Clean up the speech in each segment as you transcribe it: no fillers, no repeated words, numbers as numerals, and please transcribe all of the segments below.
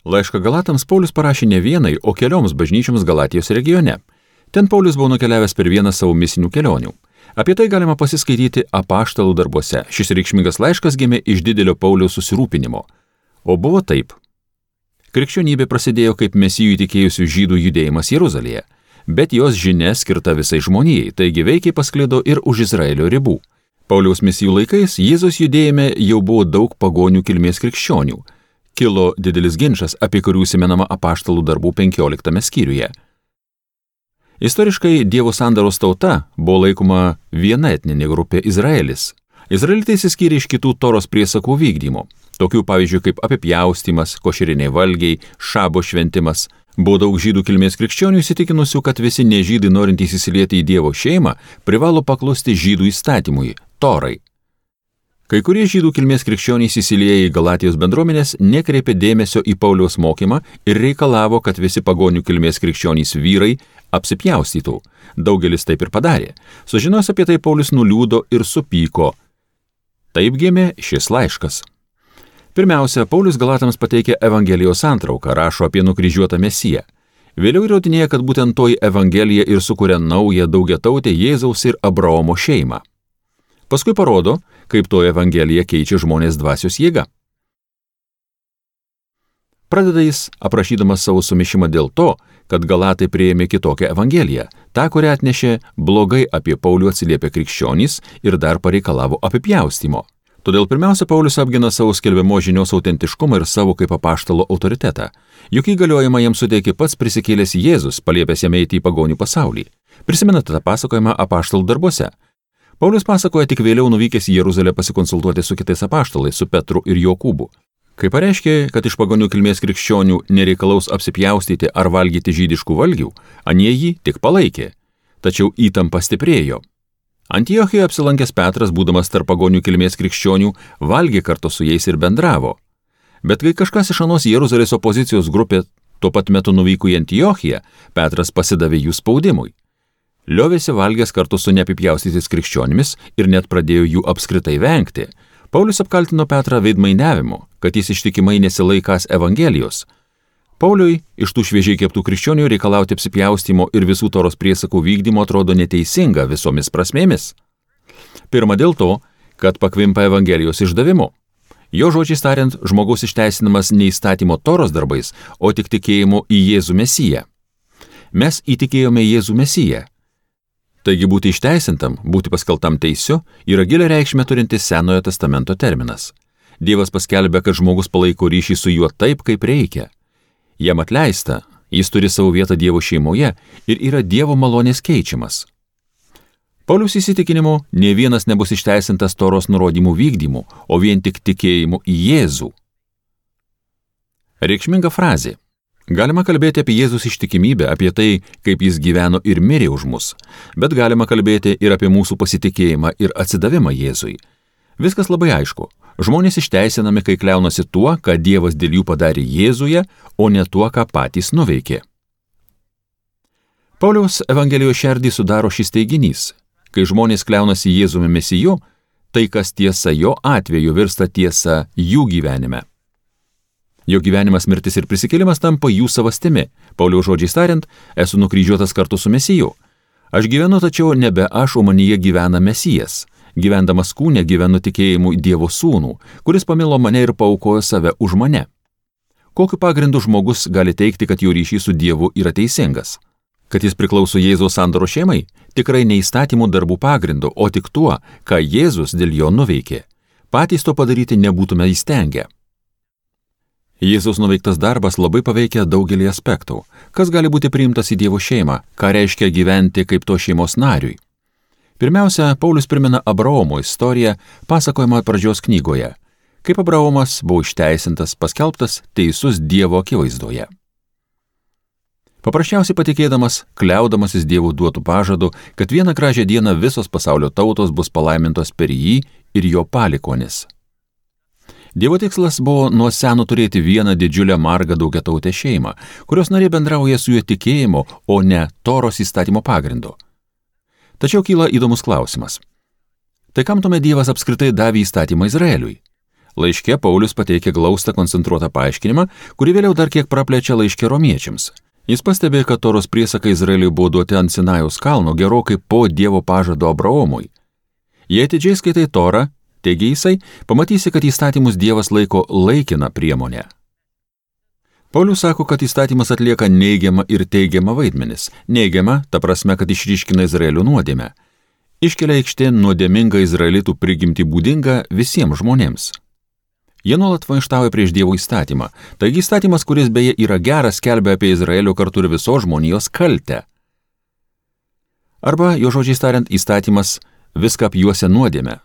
Laišką Galatams Paulius parašė ne vienai, o kelioms bažnyčioms Galatijos regione. Ten Paulius buvo nukeliavęs per vieną savo misinių kelionių. Apie tai galima pasiskaityti Apaštalų darbuose. Šis reikšmingas laiškas gimė iš didelio Pauliaus susirūpinimo. O buvo taip. Krikščionybė prasidėjo kaip mesijų įtikėjusių žydų judėjimas Jeruzalėje, bet jos žinia skirta visai žmonijai, taigi veikiai pasklido ir už Izraelio ribų. Pauliaus misijų laikais Jėzaus judėjime jau buvo daug pagonių kilmės krikščionių. Kilo didelis ginčas, apie kurį užsimenama Apaštalų darbų 15 skyriuje. Istoriškai Dievo sandoros tauta buvo laikoma viena etninė grupė Izraelis. Izraelitai išsiskyrė iš kitų Toros priesakų vykdymo, tokių pavyzdžių kaip apipjaustymas, košeriniai valgiai, šabo šventimas. Buvo daug žydų kilmės krikščionių įsitikinusių, kad visi nežydai norintys įsilieti į Dievo šeimą privalo paklusti žydų įstatymui, Torai. Kai kurie žydų kilmės krikščionys įsilieję į Galatijos bendruomenės nekreipė dėmesio į Pauliaus mokymą ir reikalavo, kad visi pagonių kilmės krikščionys vyrai apsipjaustytų. Daugelis taip ir padarė. Sužinos apie tai Paulius nuliūdo ir supyko. Taip gimė šis laiškas. Pirmiausia, Paulius Galatams pateikė Evangelijos santrauką, rašo apie nukryžiuotą Mesiją. Vėliau įrodinėja, kad būtent toji Evangelija ir sukuria naują daugiatautę Jėzaus ir Abraomo šeimą. Paskui parodo, kaip toji Evangelija keičia žmonės dvasios jėga. Pradeda jis aprašydamas savo sumišimą dėl to, kad Galatai priėmė kitokią Evangeliją, tą, kurią atnešė blogai apie Paulių atsiliepę krikščionys ir dar pareikalavo apipjaustymo. Todėl pirmiausia, Paulius apgina savo skelbiamo žinios autentiškumą ir savo kaip apaštalo autoritetą. Juk įgaliojimą jam suteikė pats prisikėlęs Jėzus, paliepęs jam eiti į pagonių pasaulį. Prisimenate tą pasakojimą Apaštalų darbuose. Paulius pasakoja tik vėliau nuvykęs į Jeruzalę pasikonsultuoti su kitais apaštalais, su Petru ir Jokūbu. Kai pareiškė, kad iš pagonių kilmės krikščionių nereikalaus apsipjaustyti ar valgyti žydiškų valgių, anie jį tik palaikė. Tačiau įtampa stiprėjo. Antiochijoje apsilankęs Petras, būdamas tarp pagonių kilmės krikščionių, valgė kartu su jais ir bendravo. Bet kai kažkas iš anos Jeruzalės opozicijos grupė tuo pat metu nuvyko į Antiochiją, Petras pasidavė jų spaudimui. Liovėsi valgęs kartu su neapipjaustytais krikščionimis ir net pradėjo jų apskritai vengti. Paulius apkaltino Petrą veidmainiavimu, kad jis ištikimai nesilaikąs Evangelijos. Pauliui iš tų šviežiai keptų krikščionių reikalauti apsipjaustymo ir visų Toros priesakų vykdymo atrodo neteisinga visomis prasmėmis. Pirma dėl to, kad pakvimpa Evangelijos išdavimu. Jo žodžiais tariant, žmogaus išteisinamas ne įstatymo Toros darbais, o tik tikėjimu į Jėzų Mesiją. Mes įtikėjome Jėzų Mesiją. Taigi būti išteisintam, būti paskeltam teisiu yra gilią reikšmę turintis Senojo testamento terminas. Dievas paskelbė, kad žmogus palaiko ryšį su juo taip, kaip reikia. Jam atleista, jis turi savo vietą Dievo šeimoje ir yra Dievo malonės keičiamas. Pauliaus įsitikinimu, nė vienas nebus išteisintas Toros nurodymų vykdymu, o vien tik tikėjimu į Jėzų. Reikšminga frazė. Galima kalbėti apie Jėzus ištikimybę, apie tai, kaip jis gyveno ir mirė už mus, bet galima kalbėti ir apie mūsų pasitikėjimą ir atsidavimą Jėzui. Viskas labai aišku. Žmonės išteisinami, kai kliaunasi tuo, ką Dievas dėl jų padarė Jėzuje, o ne tuo, ką patys nuveikė. Pauliaus Evangelijos šerdį sudaro šis teiginys. Kai žmonės kliaunasi Jėzumi Mesiju, tai kas tiesa jo atveju virsta tiesa jų gyvenime. Jo gyvenimas, mirtis ir prisikėlimas tampa jų savastimi. Pauliaus žodžiais tariant, esu nukryžiuotas kartu su Mesiju. Aš gyvenu, tačiau nebe aš, o manyje gyvena Mesijas. Gyvendamas kūne gyvenu tikėjimu į Dievo sūnų, kuris pamilo mane ir paaukojo save už mane. Kokiu pagrindu žmogus gali teikti, kad jo ryšys su Dievu yra teisingas? Kad jis priklauso Jėzaus sandoros šeimai? Tikrai ne įstatymų darbų pagrindu, o tik tuo, ką Jėzus dėl jo nuveikė. Patys to padaryti nebūtume įstengę. Jėzaus nuveiktas darbas labai paveikia daugelį aspektų. Kas gali būti priimtas į Dievo šeimą? Ką reiškia gyventi kaip to šeimos nariui? Pirmiausia, Paulius primena Abraomo istoriją, pasakojimą pradžios knygoje. Kaip Abraomas buvo išteisintas, paskelbtas teisus Dievo akivaizdoje. Paprasčiausiai patikėdamas, kliaudamasis Dievo duotų pažadų, kad vieną gražią dieną visos pasaulio tautos bus palaimintos per jį ir jo palikonis. Dievo tikslas buvo nuo seno turėti vieną didžiulę margą daugiatautę šeimą, kurios nariai bendrauja su juo tikėjimu, o ne Toros įstatymo pagrindu. Tačiau kyla įdomus klausimas. Tai kam tuomet Dievas apskritai davė įstatymą Izraeliui? Laiške Paulius pateikia glaustą koncentruotą paaiškinimą, kurį vėliau dar kiek praplečia laiške romiečiams. Jis pastebėjo, kad Toros priesakai Izraeliui buvo duoti ant Sinajaus kalno gerokai po Dievo pažado Abraomui. Jei atidžiai skaitai Torą, teigia jisai, pamatysi, kad įstatymus Dievas laiko laikiną priemonę. Paulius sako, kad įstatymas atlieka neigiamą ir teigiamą vaidmenis. Neigiamą, ta prasme, kad išryškina Izraelio nuodėmę. Iškelia aikštėn nuodėmingą izraelitų prigimtį būdingą visiems žmonėms. Jie nuolat maištauja prieš Dievo įstatymą. Taigi įstatymas, kuris beje yra geras, skelbia apie Izraelio kartu ir visos žmonijos kaltę. Arba, jo žodžiais tariant, įstatymas viską apjuosia nuodėmę.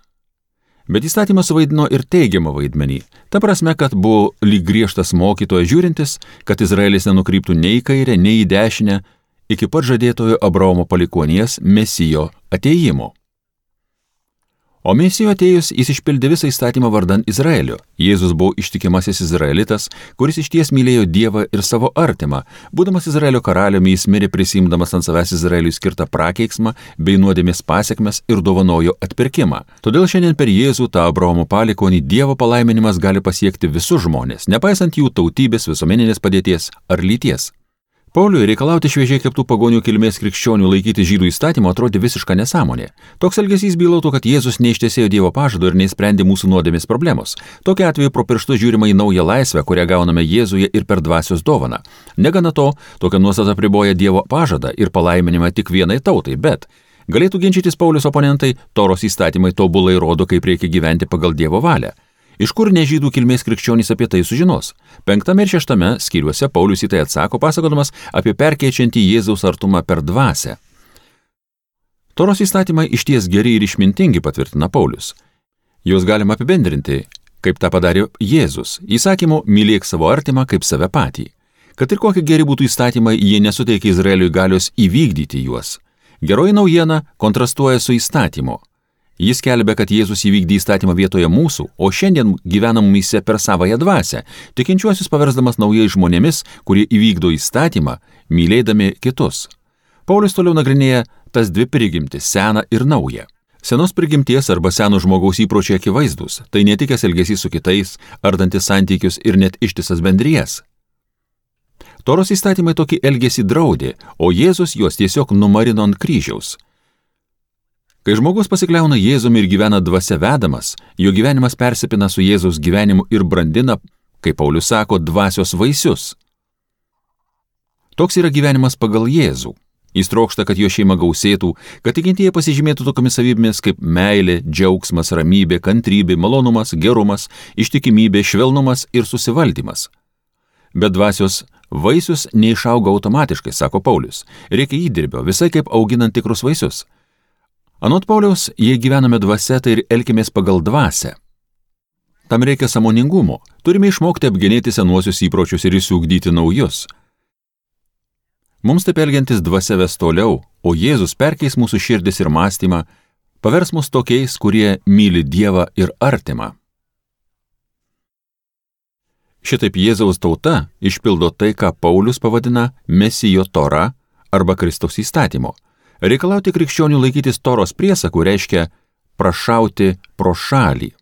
Bet įstatymas suvaidino ir teigiamą vaidmenį. Ta prasme, kad buvo lyg griežtas mokytojas žiūrintis, kad Izraelis nenukryptų nei į kairę, nei į dešinę, iki pat žadėtojo Abraomo palikuonies Mesijo atėjimo. O Mesijo atėjus jis išpildė visą įstatymą vardan Izraelio. Jėzus buvo ištikimasis izraelitas, kuris išties mylėjo Dievą ir savo artimą. Būdamas Izraelio karaliumi, jis mirė prisimdamas ant savęs Izraeliui skirtą prakeiksmą bei nuodėmės pasekmes ir dovanojo atpirkimą. Todėl šiandien per Jėzų tą Abraomo palikonį Dievo palaiminimas gali pasiekti visus žmonės, nepaisant jų tautybės, visuomeninės padėties ar lyties. Pauliui reikalauti šviežiai keptų pagonių kilmės krikščionių laikyti žydų įstatymo atrodė visiška nesąmonė. Toks elgesys bylotų, kad Jėzus neištesėjo Dievo pažado ir neįsprendė mūsų nuodėmės problemos. Tokiu atveju pro pirštus žiūrima į naują laisvę, kurią gauname Jėzuje ir per dvasios dovaną. Negana to, tokia nuostata apriboja Dievo pažadą ir palaiminimą tik vienai tautai, bet galėtų ginčytis Paulius oponentai, Toros įstatymai tobulai rodo, kaip reikia gyventi pagal Dievo valią. Iš kur nežydų kilmės krikščionys apie tai sužinos? 5 ir 6 skyriuose Paulius į tai atsako, pasakodamas apie perkeičiantį Jėzaus artumą per dvasią. Toros įstatymai išties geri ir išmintingi, patvirtina Paulius. Juos galima apibendrinti, kaip tą padarė Jėzus, įsakymu mylėk savo artimą kaip save patį. Kad ir kokie geri būtų įstatymai, jie nesuteikia Izraeliui galios įvykdyti juos. Geroji naujiena kontrastuoja su įstatymu. Jis skelbia, kad Jėzus įvykdė įstatymą vietoje mūsų, o šiandien gyvenam mumyse per savąją dvasią, tikinčiuosius paversdamas naujais žmonėmis, kurie įvykdo įstatymą, mylėdami kitus. Paulius toliau nagrinėja tas dvi prigimtis, seną ir naują. Senos prigimties arba seno žmogaus įpročiai akivaizdus, tai netikęs elgesys su kitais, ardantis santykius ir net ištisas bendrijas. Toros įstatymai tokį elgesį draudė, o Jėzus juos tiesiog numarino ant kryžiaus. Kai žmogus pasikliauna Jėzumi ir gyvena dvasia vedamas, jo gyvenimas persipina su Jėzaus gyvenimu ir brandina, kaip Paulius sako, dvasios vaisius. Toks yra gyvenimas pagal Jėzų. Jis trokšta, kad jo šeima gausėtų, kad tikintieji pasižymėtų tokiamis savybėmis kaip meilė, džiaugsmas, ramybė, kantrybė, malonumas, gerumas, ištikimybė, švelnumas ir susivaldymas. Bet dvasios vaisius neišauga automatiškai, sako Paulius. Reikia įdirbio, visai kaip auginant tikrus vaisius. Anot Pauliaus, jei gyvename dvasia, tai ir elkimės pagal dvasią. Tam reikia sąmoningumo, turime išmokti apgenėti senuosius įpročius ir įsiugdyti naujus. Mums taip elgiantis dvasia ves toliau, o Jėzus perkeis mūsų širdis ir mąstymą, pavers mus tokiais, kurie myli Dievą ir artimą. Šitaip Jėzaus tauta išpildo tai, ką Paulius pavadina Mesijo Tora arba Kristaus įstatymo. Reikalauti krikščionių laikytis Toros priesakų reiškia prašauti pro šalį.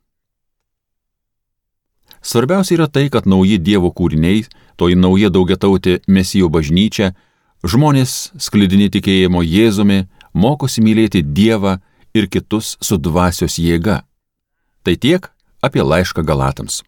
Svarbiausia yra tai, kad nauji Dievo kūriniai, toji nauja daugiatautė Mesijo bažnyčia, žmonės sklidini tikėjimo Jėzumi, mokosi mylėti Dievą ir kitus su dvasios jėga. Tai tiek apie laišką Galatams.